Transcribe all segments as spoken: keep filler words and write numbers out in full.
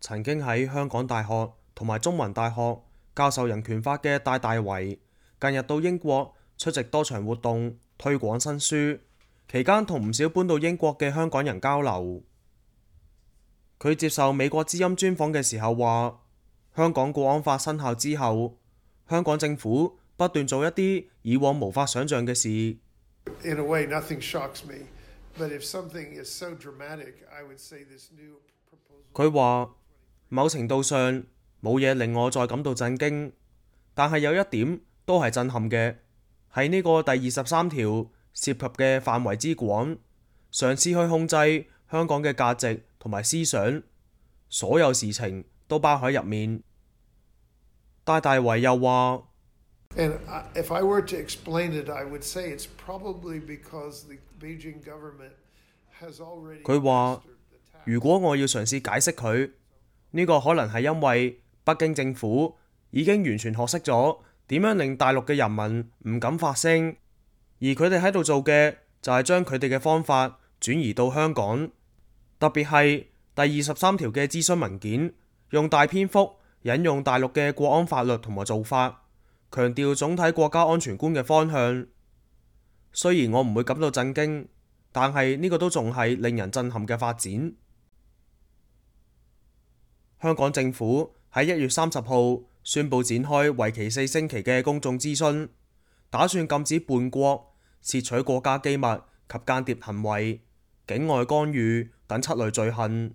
曾經喺香港大學同埋中文大學教授人權法嘅戴大為，近日到英國出席多場活動，推廣新書，期間同唔少搬到英國嘅香港人交流。佢接受美國之音專訪嘅時候話，香港國安法生效之後，香港政府不斷做一啲以往無法想像嘅事。In a way, nothing shocks me, but if something is so dramatic, I would say this new proposal. 佢話某程度上冇嘢令我再感到震驚，但係有一點都係震撼嘅，係呢個第二十三條涉及嘅範圍之廣，嘗試去控制香港嘅價值同埋思想，所有事情都包喺入面。戴大為又話，And if I were to explain it, I would say it's probably because the Beijing government has already. 佢話如果我要嘗試解釋佢，呢個可能係因為北京政府已經完全學識咗點樣令大陸嘅人民唔敢發聲，而佢哋喺度做嘅就係將佢哋嘅方法轉移到香港，特別係第二十三條嘅諮詢文件，用大篇幅引用大陸嘅國安法律同埋做法，強調總體國家安全觀嘅方向。雖然我唔會感到震驚，但係呢個都仲係令人震撼嘅發展。香港政府喺一月三十號宣布展開為期四星期嘅公眾諮詢，打算禁止叛國、竊取國家機密及間諜行為、境外干預等七類罪行。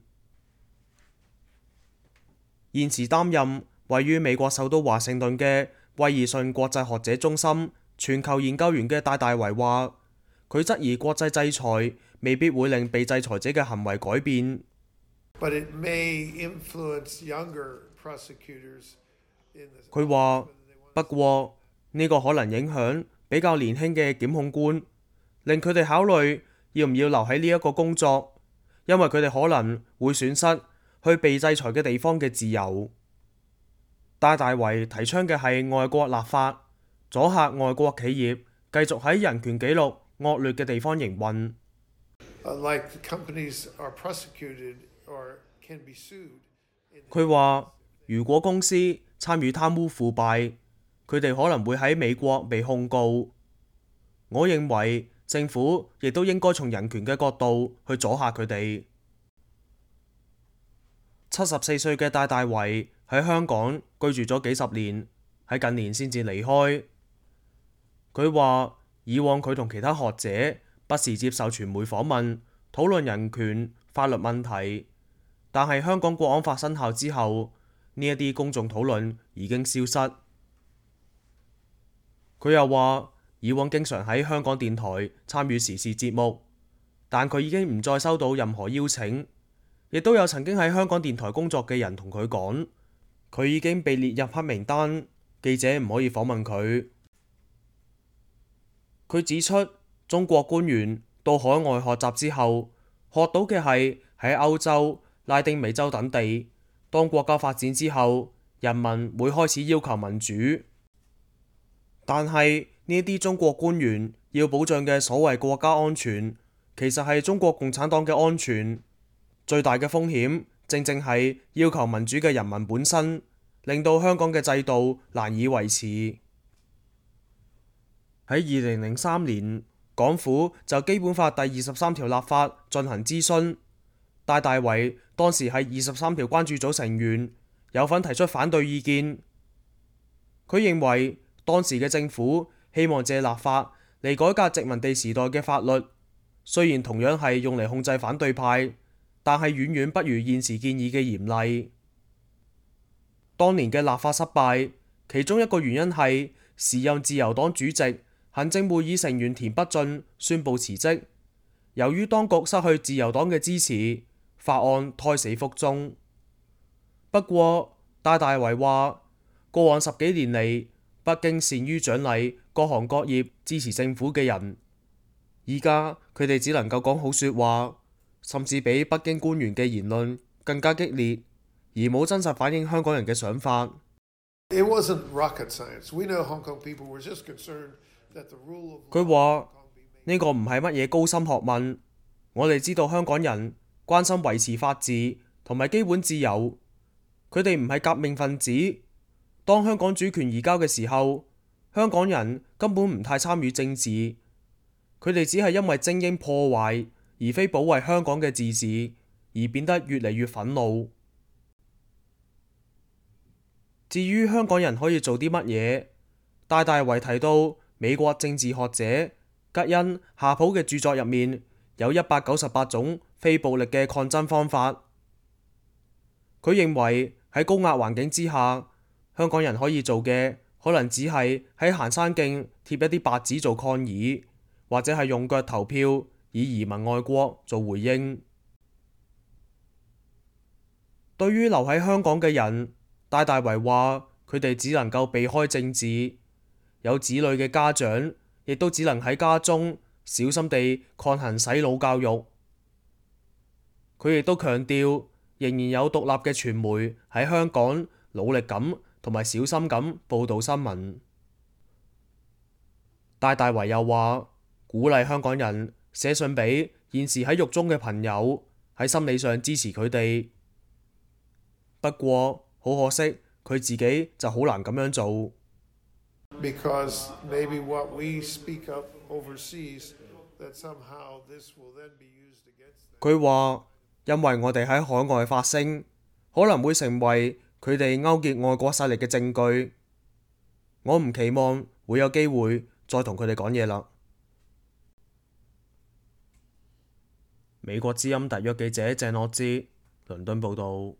現時擔任位於美國首都華盛頓嘅威爾遜國際學者中心全球研究員嘅戴大為話，佢質疑國際制裁未必會令被制裁者嘅行為改變。But it may influence younger prosecutors in the. 佢話，不過呢個可能影響比較年輕嘅檢控官，令佢哋考慮要唔要留喺呢一個工作，因為佢哋可能會損失去被制裁嘅地方嘅自由。戴大為提倡嘅係外國立法，阻嚇外國企業繼續喺人權紀錄惡劣嘅地方營運。Like companies are prosecuted or can be sued. 佢話，如果公司參與貪污腐敗，佢哋可能會喺美國被控告。我認為政府亦都應該從人權嘅角度去阻嚇佢哋。七十四歲嘅戴大為喺香港居住咗幾十年，喺近年先至離開。佢話以往佢同其他學者不時接受傳媒訪問，討論人權、法律問題，但係香港國安法生效之後，呢一啲公眾討論已經消失。佢又話以往經常喺香港電台參與時事節目，但佢已經唔再收到任何邀請。亦都有曾經喺香港電台工作嘅人同佢講，佢已經被列入黑名單，記者唔可以訪問佢。佢指出，中國官員到海外學習之後，學到嘅係喺歐洲、拉丁美洲等地，當國家發展之後，人民會開始要求民主。但係呢啲中國官員要保障嘅所謂國家安全，其實係中國共產黨嘅安全。最大嘅風險正正係要求民主嘅人民本身，令到香港嘅制度難以維持。喺二零零三年，港府就基本法第二十三條立法進行諮詢，戴大為當時係二十三條關注組成員，有份提出反對意見。佢認為當時嘅政府希望借立法嚟改革殖民地時代嘅法律，雖然同樣係用嚟控制反對派，但係遠遠不如現時建議嘅嚴厲。當年嘅立法失敗，其中一個原因係時任自由黨主席、行政會議成員田北俊宣布辭職。由於當局失去自由黨嘅支持，法案胎死腹中。不過，戴大為話，過往十幾年嚟，北京善於獎勵各行各業支持政府嘅人，而家佢哋只能夠講好說話。甚至比北京官員嘅言論更加激烈，而冇真實反映香港人嘅想法。佢話呢個唔係乜嘢高深學問，我哋知道香港人關心維持法治同埋基本自由，佢哋唔係革命分子。當香港主權移交嘅時候，香港人根本唔太參與政治，佢哋只係因為精英破壞而非保衛香港嘅自治而變得越嚟越憤怒。至於香港人可以做啲乜嘢，戴大為提到美國政治學者吉恩夏普嘅著作入面有一百九十八種非暴力嘅抗爭方法。佢認為喺高壓環境之下，香港人可以做嘅可能只係喺行山徑貼一啲白紙做抗議，或者係用腳投票以移民外國做回應。對於留喺香港嘅人，戴大為話佢哋只能夠避開政治，有子女嘅家長亦都只能喺家中小心地抗衡洗腦教育。佢亦都強調仍然有獨立嘅傳媒喺香港努力咁同埋小心咁報導新聞。戴大為又話鼓勵香港人寫信俾現時喺獄中嘅朋友，喺心理上支持佢哋。不過好可惜，佢自己就好難咁樣做。Because maybe what we speak up overseas, that somehow this will then be used against them. 佢話因為我哋喺海外發聲，可能會成為佢哋勾結外國勢力嘅證據。我唔期望會有機會再同佢哋講嘢啦。美國之音特約記者鄭樂之，倫敦報導。